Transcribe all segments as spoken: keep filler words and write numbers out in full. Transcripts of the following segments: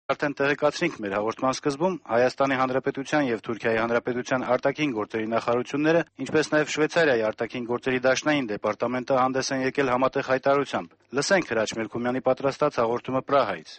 Արդեն տեղեկացրինք մեր հաղորդման սկզբում, Հայաստանի Հանրապետության եւ Թուրքիայի Հանրապետության արտաքին գործերի նախարարությունները, ինչպես նաեւ Շվեյցարիայի արտաքին գործերի դաշնային դեպարտամենտը հանդես են եկել համատեղ հայտարարությամբ։ Լսենք Հրաչ Մելքումյանի պատրաստած հաղորդումը Պրահայից։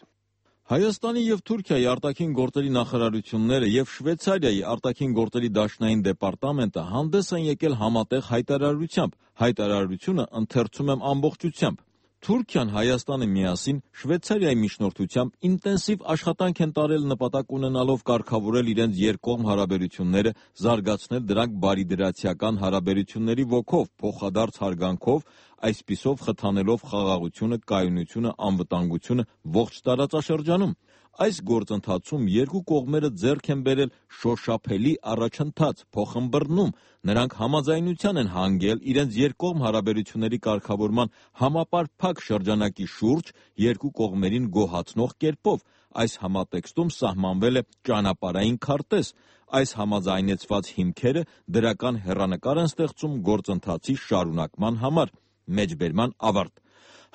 Հայաստանի եւ Թուրքիայի արտաքին գործերի նախարարությունները եւ Շվեյցարիայի արտաքին գործերի դաշնային դեպարտամենտը հանդես են եկել համատեղ հայտարարությամբ։ Հայտարարությունը ընթերցում եմ ամբողջությամբ։ Թուրքիան, Հայաստանը միասին Շվեյցարիայի միջնորդությամբ ինտենսիվ աշխատանք են տարել նպատակ ունենալով կարգավորել իրենց երկկողմ հարաբերությունները, զարգացնել դրանք բարիդրացիական հարաբերությունների ոգով, փոխադարձ հարգանքով, այսպիսով խթանելով խաղաղությունը, կայունությունը, անվտանգությունը ողջ տարածաշրջանում։ Այս գործընթացում երկու կողմերը ձեռք են բերել շոշափելի առաջընթաց, փոխըմբռնում, նրանք համաձայնության են հանգել իրենց երկկողմ հարաբերությունների կարգավորման համապարփակ շրջանակի շուրջ երկու կողմերին գոհացնող կերպով։ Այս համատեքստում սահմանվել է ճանապարհային քարտեզ։ Այս համաձայնեցված հիմքերը դրական հեռանկար են ստեղծում գործընթացի շարունակման համար։ Մեջբերման ավարտ։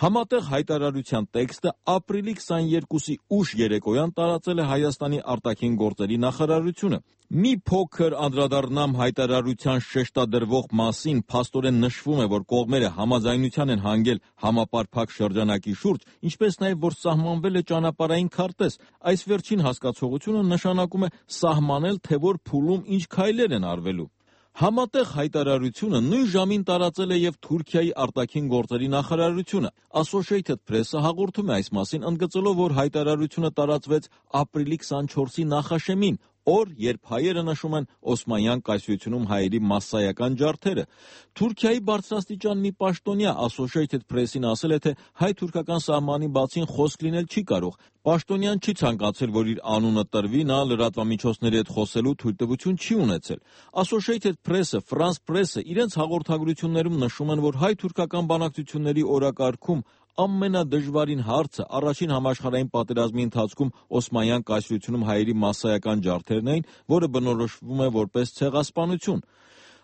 Համատեղ հայտարարության տեքստը ապրիլի քսաներկուսի ուշ երեկոյան տարածել է Հայաստանի արտաքին գործերի նախարարությունը։ Մի փոքր անդրադառնամ հայտարարության շեշտադրվող մասին, փաստորեն նշվում է, որ կողմերը համաձայնության են հանգել համապարփակ շրջանակի շուրջ, ինչպես նաև որ սահմանվել է ճանապարհային քարտեզ։ Այս վերջին հասկացողությունը նշանակում է սահմանել, թե որ փուլում ինչ քայլեր են արվելու։ Համատեղ հայտարարությունը նույն ժամին տարածել է եւ Թուրքիայի արտաքին գործերի նախարարությունը։ Associated Press-ը հաղորդում է այս մասին, ընդգծելով, որ հայտարարությունը տարածվեց ապրիլի քսանչորսի նախաշեմին, օր, երբ հայերը նշում են Օսմանյան կայսրությունում հայերի մասսայական ջարդերը։ Թուրքիայի բարձրաստիճան մի պաշտոնյա Associated Press-ին ասել է, թե հայ-թուրքական սահմանի բացին խոսք լինել չի կարող։ Պաշտոնյան չի ցանկացել, որ իր անունը տրվի, նա լրատվամիջոցների հետ խոսելու թույլտվություն չի ունեցել։ Associated Press-ը, France Press-ը իրենց հաղորդագրություններում նշում են, որ հայ-թուրքական բանակցությունների օրակարգում ամենադժվարին հարցը առաջին համաշխարհային պատերազմի ընթացքում Օսմանյան կայսրությունում հայերի մասսայական ջարդերն էին, որը բնորոշվում է որպես ցեղասպանություն։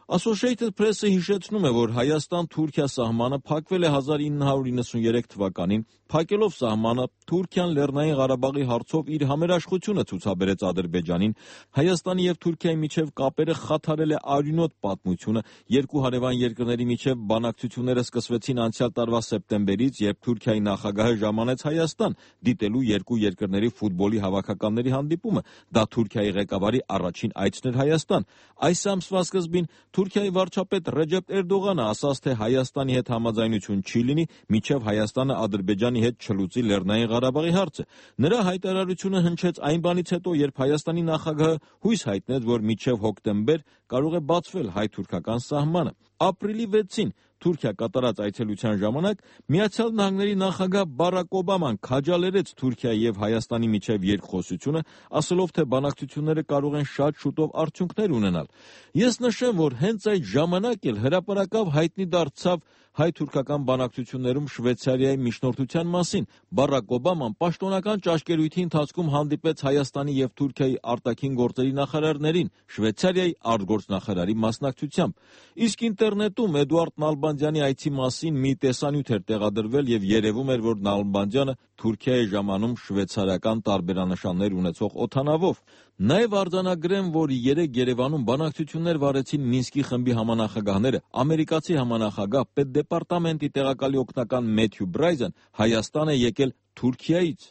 Associated Press-ը հիշեցնում է, որ Հայաստան-Թուրքիա սահմանը փակվել է հազար ինը հարյուր իննսուններեք թվականին։ Փակելով սահմանը, Թուրքիան Լեռնային Ղարաբաղի հարցով իր համերաշխությունը ցուցաբերեց Ադրբեջանին։ Հայաստանի եւ Թուրքիայի միջև կապերը խաթարել է արյունոտ պատմությունը։ Երկու հարևան երկրների միջև բանակցությունները սկսվեցին անցյալ տարվա սեպտեմբերից, երբ Թուրքիայի նախագահը ժամանեց Հայաստան դիտելու երկու երկրների ֆուտբոլի հավաքականների հանդիպումը։ Դա Թուրքիայի ղեկավարի առաջին այցն էր Հայաստան։ Այս ամսվա սկզբին Թուրքիայի վարչապետ Ռեջեփ Էրդողանը ասաց, թե Հայաստանի հետ համաձայնություն չի լինի, մինչև Հայաստանը Ադրբեջանի հետ չլուծի Լեռնային Ղարաբաղի հարցը։ Նրա հայտարարությունը հնչեց այն բանից հետո, երբ Հայաստանի նախագահը հույս հայտնեց, որ մինչև հոկտեմբեր կարող է բացվել հայ-թուրքական սահմանը։ Ապրիլի վեցին Թուրքիա կատարած այցելության ժամանակ Միացյալ Նահանգների նախագահ Բարակ Օբաման քաջալերեց Թուրքիայի եւ Հայաստանի միջև երկխոսությունը, ասելով, թե բանակցությունները կարող են շատ շուտով արդյունքներ ունենալ։ Ես նշեմ, որ հենց այդ ժամանակ էլ հրապարակավ հայտնի դարձավ հայ-թուրքական բանակցություններում Շվեյցարիայի միջնորդության մասին։ Բարակ Օբաման պաշտոնական ճաշկերույթի ընթացքում հանդիպեց Հայաստանի եւ Թուրքիայի արտաքին գործերի նախարարներին, Շվեյցարիայի արտգործնախարարի մասնակցությամբ։ Իսկ ինտերնետում Էդուարդ Նալբանդյանի այցի մասին մի տեսանյութ էր տեղադրվել եւ երևում էր, որ Նալբանդյանը Թուրքիայի ժամանում շվեյցարական տարբերանշաններ ունեցող օդանավով։ Նաև արձանագրեմ, որ երեկ Երևանում բանակցություններ վարեցին Մինսկի խմբի համանախագահները, ամերիկացի համանախագահ պետդեպարտամենտի տեղակալի օգնական Մեթյու Բրայզեն Հայաստան է եկել Թուրքիայից։